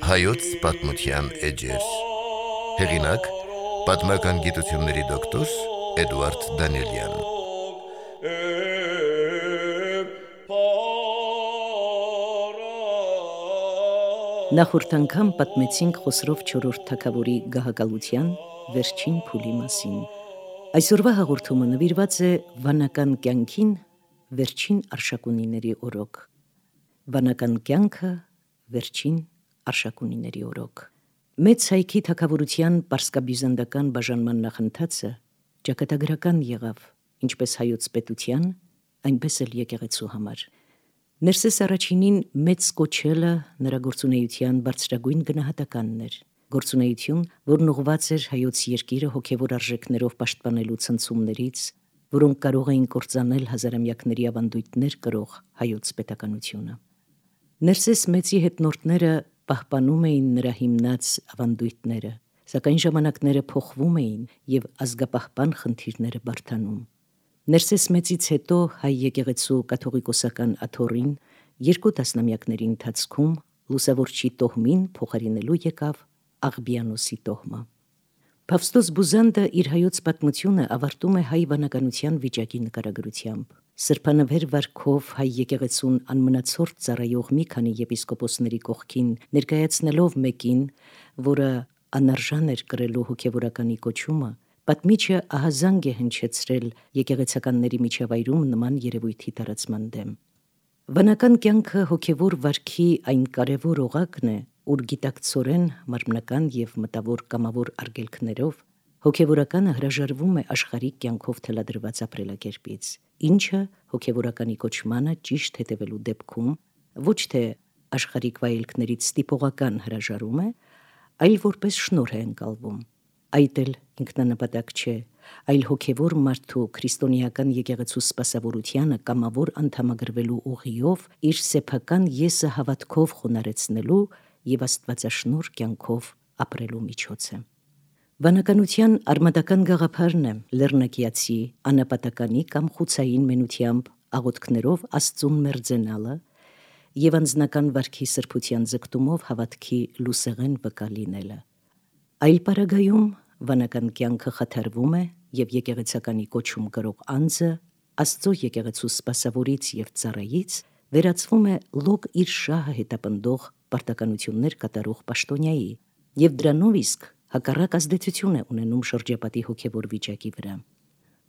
Հայոց պատմության էջեր։ Հեղինակ՝ պատմական գիտությունների դոկտոր Էդուարդ Դանիելյան։ Նախորդ անգամ պատմեցինք Խոսրով չորրորդ թագավորի գահակալության վերջին փուլի մասին։ Այսօրվա հաղորդումը նվիրված է վանական կյանքին վերջին Արշակունիների օրոք։ Վանական կյանքը վերջին Արշակունիների օրոք։ Մեծ հայքի թագավորության պարսկաբյուզանդական բաժանման նախընթացը ճակատագրական եղավ ինչպես հայոց պետության, այնպես էլ եկեղեցու համար։ Ներսես առաջինին մեծ կոչելը նրա գործունեության բարձրագույն գնահատականն էր, գործունեություն, որն ուղղված էր հայոց երկիրը հոգևոր արժեքներով պաշտպանելու ցնցումներից, որոնք կարող էին կործանել հազարամյակների ավանդույթներ կրող հայոց պետականությունը։ Ներսես մեծի հետնորդները պահպանում էին նրա հիմնած ավանդույթները, սակայն ժամանակները փոխվում էին և ազգապահպան խնդիրները բարդանում։ Ներսես մեծից հետո հայ եկեղեցու կաթողիկոսական աթոռին 2 տասնամյակների ընթացքում լուսավորչի տոհմին փոխարինելու եկավ Աղբիանոսի տոհմը։ Փավստոս Բուզանդը իր հայոց պատմությունը ավարտում է հայ վանականության վիճակի նկարագրությամբ։ Սրբանվեր վարքով հայ եկեղեցուն անմնացորդ ծառայող մի քանի եպիսկոպոսների կողքին ներկայացնելով մեկին, որը անարժան էր կրելու հոգևորականի կոչումը, պատմիչը ահազանգ է հնչեցրել եկեղեցականների միջավայրում նման երևույթի տարածման դեմ։ Վանական կյանքը հոգևոր վարքի այն կարևոր օղակն է, ուր գիտակցորեն մարմնական և մտավոր կամավոր արգելքներով հոգևորականը հրաժարվում է աշխարհիկ կյանքով թելադրված ապրելակերպից, ինչը հոգևորականի կոչմանը ճիշտ հետևելու դեպքում ոչ թե աշխարհիկ վայելքներից ստիպողական հրաժարում է, այլ որպես շնորհ է ընկալվում։ Այդ էլ ինքնանպատակ չէ, այլ հոգևոր մարդու քրիստոնեական եկեղեցու սպասավորությանը կամավոր անդամագրվելու ուղիով իր սեփական եսը հավատքով խոնարեցնելու և աստվածաշնորհ կյանքով ապրելու միջոց է։ Վանականության արմատական գաղափարն է լեռնակիացի անապատականի կամ խուցային մենությամբ աղոթքներով Աստծուն մերձենալը և անձնական վարքի սրբության ձգտումով հավատքի լուսեղեն վկա լինելը։ Այլ պարագայում վանական կյանքը խաթարվում է և եկեղեցականի կոչում կրող անձը Աստծո եկեղեցու սպասավորից և ծառայից վերածվում է լոկ իր շահը հետապնդող պարտականություններ կատարող պաշտոնյայի և դրանով իսկ հակառակ ազդեցություն է ունենում շրջապատի հոգևոր վիճակի վրա։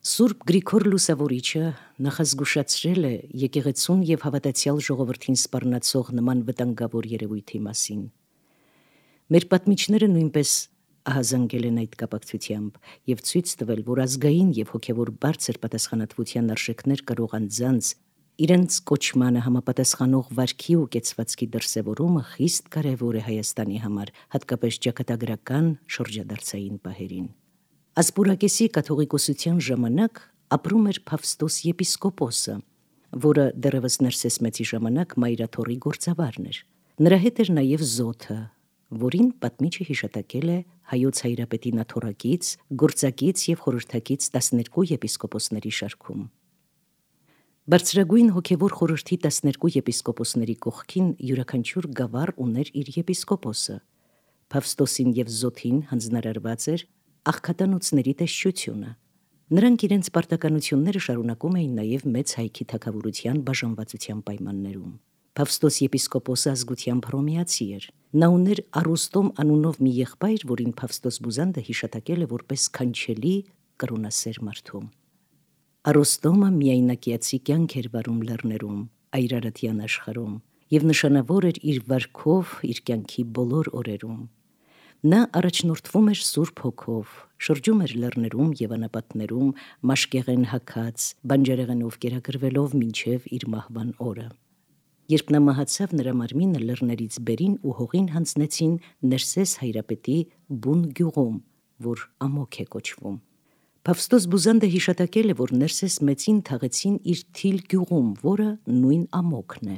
Սուրբ Գրիգոր Լուսավորիչը նախազգուշացրել է եկեղեցուն և հավատացյալ ժողովրդին սպառնացող նման վտանգավոր երևույթի մասին։ Մեր պատմիչները նույնպես ահազանգել են այդ կապակցությամբ և ցույց տվել, որ ազգային և հոգևոր բարձր պատասխանատվության արժեքներ կրող անձանց իրենց կոչմանը համապատասխանող վարքի ու կեցվածքի դրսևորումը խիստ կարևոր է Հայաստանի համար, հատկապես ճակատագրական շրջադարձային պահերին։ Ասպուրակեսի կաթողիկոսության ժամանակ ապրում էր Փավստոս եպիսկոպոսը, որը դեռևս Ներսես մեծի ժամանակ մայրաթոռի գործավարն էր։ Նրա հետ էր նաև Զոթը, որին պատմիչը հիշատակել է հայոց հայրապետին աթոռակից, գործակից և խորհրդակից 12 եպիսկոպոսների շարքում։ Բարձրագույն հոգևոր խորհրդի 12 եպիսկոպոսների կողքին յուրաքանչյուր գավառ ուներ իր եպիսկոպոսը։ Փավստոսին և Զոթին հանձնարարված էր աղքատանոցների տեսչությունը։ Նրանք իրենց պարտականությունները շարունակում էին նաև մեծ հայքի թագավորության բաժանվածության պայմաններում։ Փավստոս եպիսկոպոսը ազգությամբ հռոմեացի էր։ Նա ուներ Առոստոմ անունով մի եղբայր, որին Փավստոս Բուզանդը հիշատակել է որպես քանչելի կրոնասեր մարդու։ Առոստոմը միայնակիացի կյանք էր վարում լեռներում, այրարատյան աշխարհում և նշանավոր էր իր վարքով իր կյանքի բոլոր օրերում։ Նա առաջնորդվում էր Սուրբ Հոգով, շրջում էր լեռներում և անապատներում, մաշկեղեն հագած, բանջարեղենով կերակրվելով մինչև իր մահվան օրը։ Երբ նա մահացավ, նրա մարմինը լեռներից բերին ու հողին հանձնեցին Ներսես հայրապետի բուն գյուղում, որ Ամոք է կոչվում։ Փավստոս Բուզանդը հիշատակել է, որ Ներսես մեծին թաղեցին իր Թիլ գյուղում, որը նույն Ամոքն է։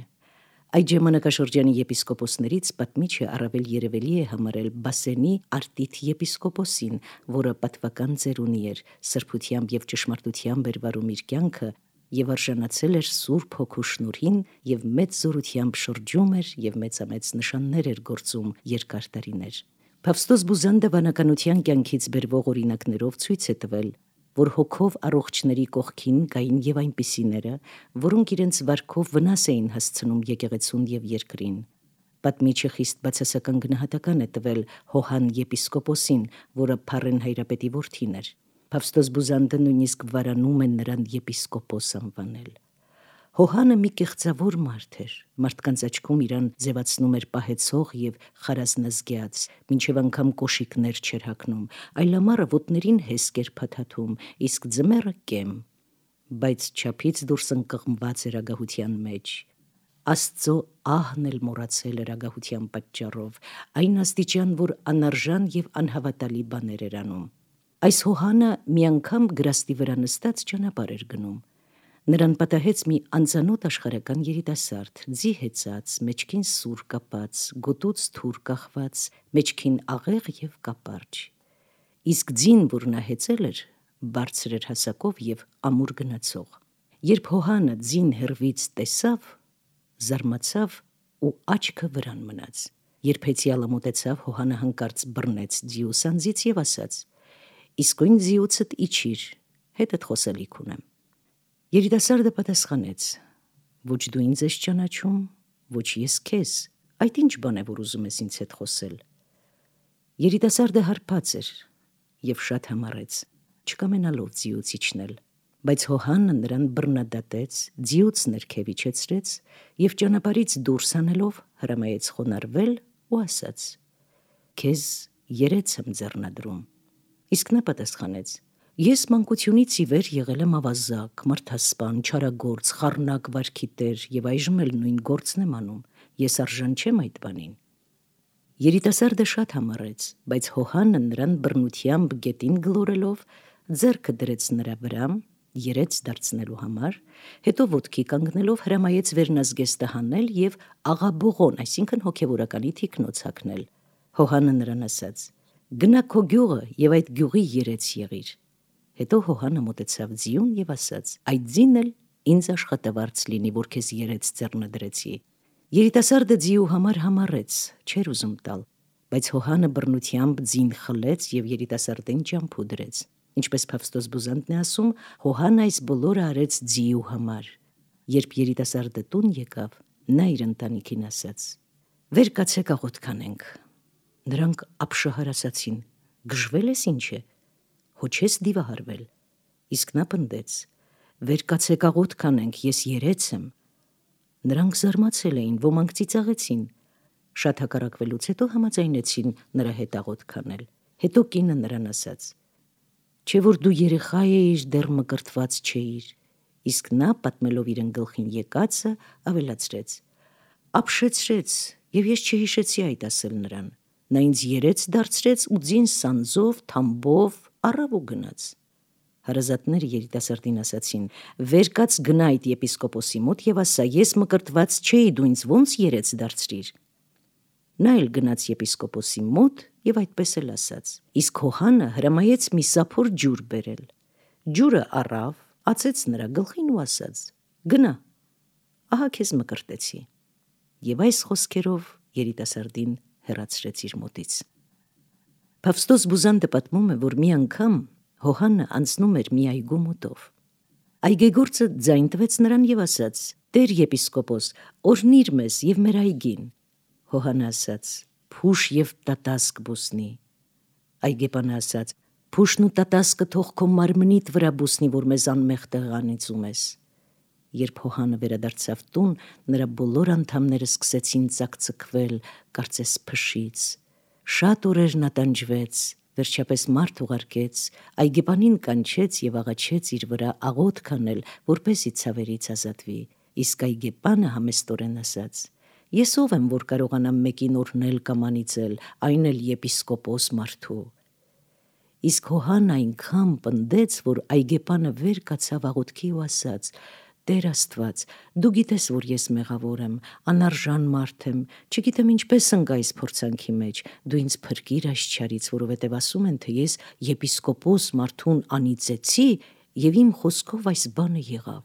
Այդ ժամանակաշրջանի եպիսկոպոսներից պատմիչը առավել երևելի է համարել Բասենի Արտիթ եպիսկոպոսին, որը պատվական ծերունի էր, սրբությամբ և ճշմարտությամբ էր վարում իր կյանքը եւ արժանացել էր Սուրբ Հոգու շնորհին եւ մեծ զորությամբ շրջում էր եւ մեծամեծ նշաններ էր գործում երկար տարիներ։ Փավստոս Բուզանդը վանականության կյանքից բերվող օրինակներով ցույց է տվել, որ հոգով առողջների կողքին կային եւ այնպիսիները, որոնք իրենց վարքով վնաս էին հասցնում եկեղեցուն եւ երկրին։ Պատմիչը խիստ բացասական գնահատական է տվել Հոհան եպիսկոպոսին, որը Փարեն հայրապետի որդին էր։ Փավստոս Բուզանդը նույնիսկ վարանում է նրան եպիսկոպոս անվանել։ Հոհանը մի կեղծավոր մարդ էր, մարդկանց աչքում իրան ձևացնում էր պահեցող եւ խարազնազգյաց, մինչև անգամ կոշիկներ չէր հագնում, այլ ամառը ոտներին հեսկ էր փաթաթում, իսկ ձմեռը կեմ, բայց չափից դուրս ընկղմված էր ագահության մեջ։ Աստծո ահն էլ մոռացել էր ագահության պատճառով, այն աստիճան, որ անարժան եւ անհավատալի բաներ էր անում։ Այս Հոհանը մի անգամ գրաստի վրա նստած ճանապարհ էր գնում։ Նրան պատահեց մի անծանոթ աշխարհական երիտասարդ, ձի հեծած, մեջքին սուր կապած, գոտուց թուր կախված, մեջքին աղեղ եւ կապարջ։ Իսկ ձին, որ նա հեծել էր, բարձր էր հասակով եւ ամուր գնացող։ Երբ Հոհանը ձին հեռվից տեսավ, զարմացավ ու աչքը վրան մնաց։ Երբ հեծյալը մոտեցավ, Հոհանը հանկարծ բռնեց ձիու սանձից եւ ասաց. «Իսկույն ձիուցդ իջիր, հետդ խոսելիք ունեմ»։ Երիտասարդը պատասխանեց. «Ոչ դու ինձ ես ճանաչում, ոչ ես քեզ, այդ ինչ բան է, որ ուզում ես ինձ հետ խոսել»։ Երիտասարդը հարբած էր եւ շատ համառեց, չկամենալով ձիուց իջնել, բայց Հոհանը նրան բռնադատեց, ձիուց ներքև իջեցրեց եւ ճանապարհից դուրս հանելով հրամայեց խոնարհվել ու ասաց. «Քեզ երեց եմ ձեռնադրում»։ Իսկ նա պատասխանեց. «Ես մանկությունից ի վեր եղել եմ ավազակ, մարդասպան, չարագործ, խառնակ վարքի տեր եւ այժմ էլ նույն գործն եմ անում, ես արժան չեմ այդ բանին»։ Երիտասարդը շատ համառեց, բայց Հոհանը նրան բռնությամբ գետին գլորելով ձեռքը դրեց նրա վրա, երեց դարձնելու համար, հետո ոտքի կանգնելով հրամայեց վերնազգեստը հանել եւ աղաբողոն, այսինքն հոգեվորականի թիկնոց հագնել։ Հոհանը նրան ասաց. «Գնա քո գյուղը եւ այդ գյուղի երեց եղիր»։ Հետո Հոհանը մոտեցավ ձիուն եւ ասաց. «Այդ ձին էլ ինձ աշխատավարձ լինի, որ քեզ երեց ձեռնադրեցի»։ Երիտասարդը ձիու համար համառեց, չէր ուզում տալ, բայց Հոհանը բռնությամբ ձին խլեց եւ երիտասարդին ճամփու դրեց։ Ինչպես Փավստոս Բուզանդն է ասում, Հոհանը այս բոլորը արեց ձիու համար։ Երբ երիտասարդը տուն եկավ, նա իր ընտանիքին ասաց. «Վեր կացեք աղոթ կանենք»։ Նրանք ապշահար ասացին. «Գժվել ես ինչ է, հո չես դիվահարվել»։ Իսկ նա պնդեց. «Վեր կացեք աղոթ կանենք, ես երեց եմ»։ Նրանք զարմացել էին, ոմանք ծիծաղեցին։ Շատ հակառակվելուց հետո համաձայնեցին նրա հետ աղոթ կանել։ Հետո կինը նրան ասաց. «Չէ որ դու երեխա էիր, դեռ մկրտված չէիր»։ Իսկ նա, պատմելով իրեն գլխին եկածը, ավելացրեց. «Ապշեցրեց, եւ ես չհիշեցի այդ ասել նրան։ Նա ինձ երեց դարձրեց ու ձին սանձով, թամբով առավ ու գնաց»։ Հարազատները երիտասարդին ասացին. «Վեր կաց գնա այդ եպիսկոպոսի մոտ եւ ասա, ես մկրտված չէի, դու ինձ ոնց երեց դարձրիր»։ Նա էլ գնաց եպիսկոպոսի մոտ եւ այդպես էլ ասաց։ Իսկ Հոհանը հրամայեց մի սափոր ջուր բերել։ Ջուրը առավ, ածեց նրա գլխին ու ասաց. «Գնա, ահա քեզ մկրտեցի»։ Եվ այս խոսքերով երիտասարդին հեռացրեց իր մոտից։ Փավստոս Բուզանդը պատմում է, որ մի անգամ Հոհանը անցնում էր մի այգու մոտով։ Այգեգործը ձայն տվեց նրան եւ ասաց. «Տեր եպիսկոպոս, օրհնիր մեզ եւ մեր այգին»։ Հոհանը ասաց. «Փուշ եւ տատասկ բուսնի»։ Այգեպանը ասաց. «Փուշն ու տատասկը թող քո մարմնիդ վրա բուսնի, որ մեզ անմեղ տեղանիցում ես»։ Երբ Հոհանը վերադարձավ տուն, նրա բոլոր անդամները սկսեցին ծակծկվել, կարծես փշից։ Շատ օրեր նա տանջվեց, վերջապես մարդ ուղարկեց, այգեպանին կանչեց եւ աղաչեց իր վրա աղոթ կանել, որպեսզի ցավերից ազատվի։ Իսկ այգեպանը համեստորեն ասաց. «Ես ով եմ, որ կարողանամ մեկին օրհնել կամ անիծել, այն էլ եպիսկոպոս մարդու»։ Իսկ Հոհանն այնքան պնդեց, որ այգեպանը վեր կացավ աղոթքի ու ասաց. «Տեր Աստված, դու գիտես, որ ես մեղավոր եմ, անարժան մարդ եմ, չգիտեմ ինչպես ընկա այս փորձանքի մեջ, դու ինձ փրկիր այս չարից, որովհետև ասում են, թե ես եպիսկոպոս մարդուն անիծեցի եւ իմ խոսքով այս բանը եղավ»։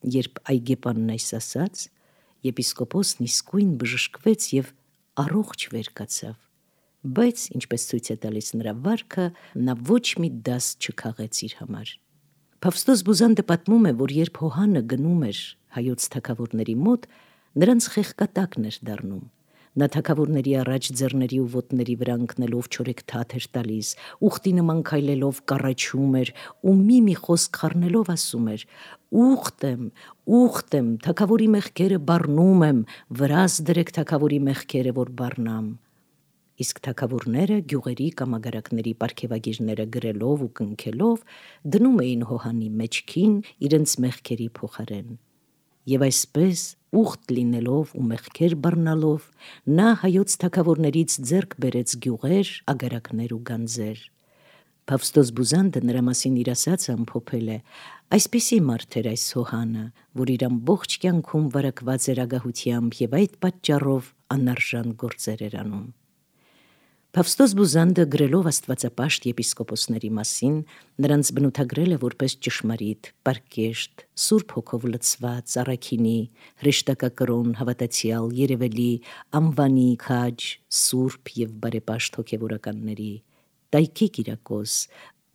Երբ այգեպանն այս ասաց, եպիսկոպոսն իսկույն բժշկվեց և առողջ վեր կացավ, բայց ինչպես ցույց է տալիս նրա վարքը, նա ոչ մի դաս չքաղեց իր համար։ Փավստոս Բուզանդը պատմում է, որ երբ Հոհանը գնում էր հայոց թագավորների մոտ, նրանց խեղկատակն էր դառնում։ Նա թագավորների առաջ ձեռների ու ոտների վրա ընկնելով չորեքթաթ էր տալիս, ուխտի նման քայլելով կառաչում էր ու մի խոսք խառնելով ասում էր. «Ուխտ եմ, թագավորի մեղքերը բառնում եմ, վրաս դրեք թագավորի մեղքերը, որ բառնամ»։ Իսկ թագավորները գյուղերի կամ ագարակների պարգևագիրները գրելով ու կնքելով դնում էին Հոհանի մեջքին իրենց մեղքերի փոխարեն։ Եվ այսպես ուխտ լինելով ու մեղքեր բռնալով նա հայոց թագավորներից ձեռք բերեց գյուղեր, ագարակներ ու գանձեր։ Փավստոս Բուզանդը նրա մասին իր ասածը ամփոփել է. «Այսպիսի մարդ էր այս Հոհանը, որ իր ամբողջ կյանքում վարակված էր ագահությամբ և այդ պատճառով անարժան գործեր էր անում»։ Փավստոս Բուզանդը գրելով աստվածապաշտ եպիսկոպոսների մասին, նրանց բնութագրել է որպես ճշմարիտ, պարկեշտ, Սուրբ Հոգով լցված, առաքինի, հրեշտակակրոն, հավատացյալ, երևելի, անվանի, քաջ, սուրբ և բարեպաշտ հոգևորականների, Տայքի Կիրակոս,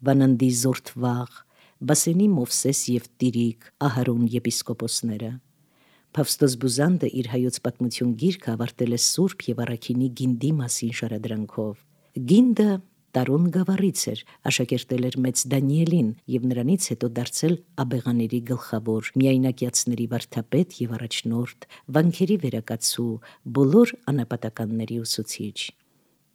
Վանանդի Զորթվաղ, Բասենի Մովսես և Տիրիկ, Ահարոն եպիսկոպոսները։ Փավստոս Բուզանդը իր հայոց պատմություն գիրքը ավարտել է Սուրբ և առաքինի գինդի մասին շարադրանքով։ Գինդը Տարոն գավառից էր, աշակերտել էր մեծ Դանիելին և նրանից հետո դարձել աբեղաների գլխավոր, միայնակյացների վարդապետ և առաջնորդ, վանքերի վերակացու, բոլոր անապատականների ուսուցիչ։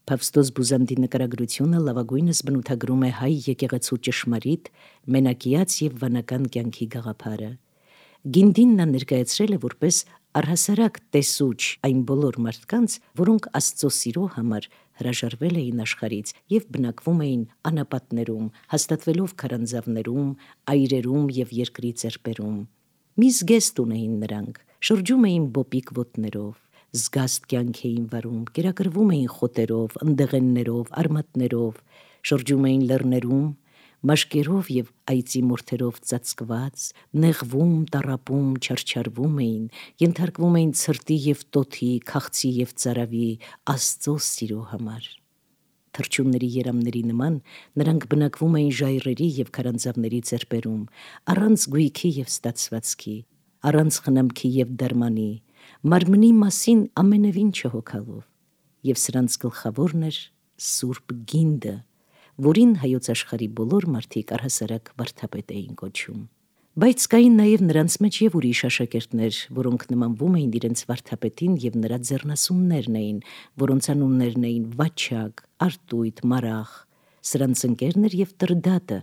Փավստոս Բուզանդի նկարագրությունը լավագույնս բնութագրում է հայ եկեղեցու ճշմարիտ, մենակյաց և վանական կյանքի գաղափարը։ Գինդին նա ներկայացրել է որպես առհասարակ տեսուչ այն բոլոր մարդկանց, որոնք Աստծո սիրո համար հրաժարվել էին աշխարհից և բնակվում էին անապատներում, հաստատվելով քարանձավներում, այրերում և երկրի ծերպերում։ Մի զգեստ ունեին նրանք, շրջում էին բոպիկ ոտներով, զգաստ կյանք էին վարում, կերակրվում էին խոտերով, ընդեղեններով, արմատներով, շրջում էին լեռներում, մաշկերով և այծի մորթերով ծածկված, նեղվում, տառապում, չարչարվում էին, ենթարկվում էին ցրտի և տոթի, քաղցի և ծարավի, Աստծո սիրո համար։ Թռչունների երամների նման նրանք բնակվում էին ժայռերի և քարանձավների ծերպերում, առանց գույքի և ստացվածքի, առանց խնամքի և դարմանի, մարմնի մասին ամենևին չհոգալով, և սրանց գլխավորն էր Սուրբ Գինդը, որին հայոց աշխարհի բոլոր մարդիկ առհասարակ վարդապետ էին կոչում։ Բայց կային նաև նրանց մեջ և ուրիշ աշակերտներ, որոնք նմանվում էին իրենց վարդապետին և նրա ձեռնասուններն էին, որոնց անուններն էին Վաչակ, Արտույտ, Մարախ։ Սրանց ընկերն էր և Տրդատը,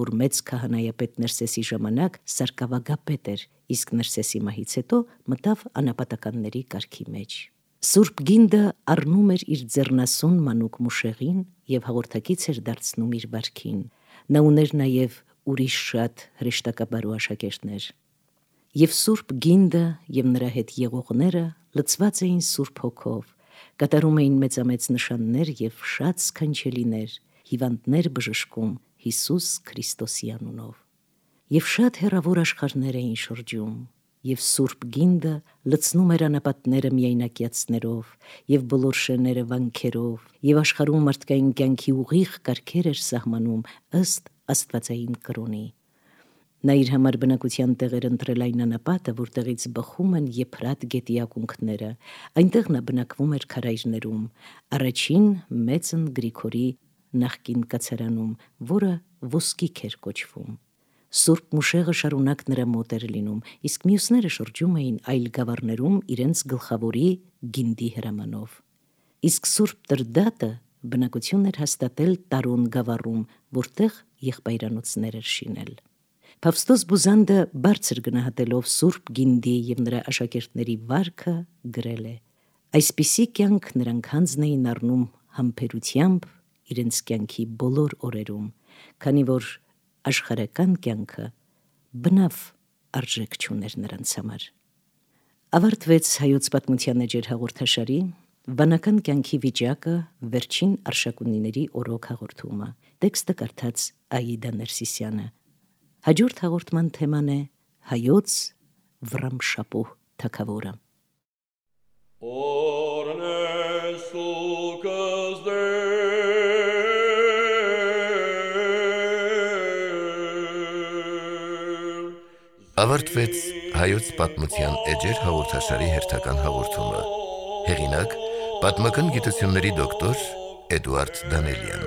որ մեծ քահանայապետ Ներսեսի ժամանակ սարկավագապետ էր, իսկ Ներսեսի մահից հետո մտավ անապատականների կարգի մեջ։ Սուրբ Գինդը առնում էր իր ձեռնասուն մանուկ Մուշեղին և հաղորդակից էր դարձնում իր վարքին։ Նա ուներ նաև ուրիշ շատ հրեշտակաբարու աշակերտներ։ Եվ Սուրբ Գինդը և նրա հետ եղողները լցված էին Սուրբ Հոգով, կատարում էին մեծամեծ նշաններ և շատ սքանչելիներ, հիվանդներ բժշկում Հիսուս Քրիստոսի անունով։ Եվ շատ հեռավոր աշխարհներ էին շրջում, և Սուրբ Գինդը լցնում էր անապատները միայնակյացներով և բոլոր շերները վանքերով, և աշխարհում մարդկային կյանքի ուղիղ կարգեր էր սահմանում ըստ աստվածային կրոնի։ Նա իր համար բնակության տեղ էր ընտրել այն անապատը, որտեղից բխում են Եփրատ գետի ակունքները, այնտեղ նա բնակվում էր քարայրներում, առաջին մեծն Գրիգորի նախկին կացարանում, որը Ոսկիք էր կոչվում։ Սուրբ Մուշեղը շարունակ նրա մոտ էր լինում, իսկ մյուսները շրջում էին այլ գավառներում իրենց գլխավորի Գինդի հրամանով։ Իսկ Սուրբ Տրդատը բնակություն էր հաստատել Տարոն գավառում, որտեղ եղբայրանոցներ էր շինել։ Փավստոս Բուզանդը բարձր գնահատելով Սուրբ Գինդի և նրա աշակերտների վարքը գրել է. «Այսպիսի կյանք նրանք հանձն էին առնում համբերությամբ իրենց կյանքի բոլոր օրերում, քանի որ աշխարհական կյանքը բնավ արժեք չուներ նրանց համար»։ Ավարտվեց Հայոց պատմության էջեր հաղորդաշարի «Վանական կյանքի վիճակը. վերջին Արշակունիների օրոք» հաղորդումը։ Տեքստը կարդաց Աիդա Ներսիսյանը։ Հաջորդ հաղորդման թեման է Հայոց վռամշապուհ թագավորը։ Ավարտվեց հայոց պատմության էջեր հաղորդաշարի հերթական հաղորդումը։ Հեղինակ՝ պատմական գիտությունների դոկտոր Էդուարդ Դանելյան։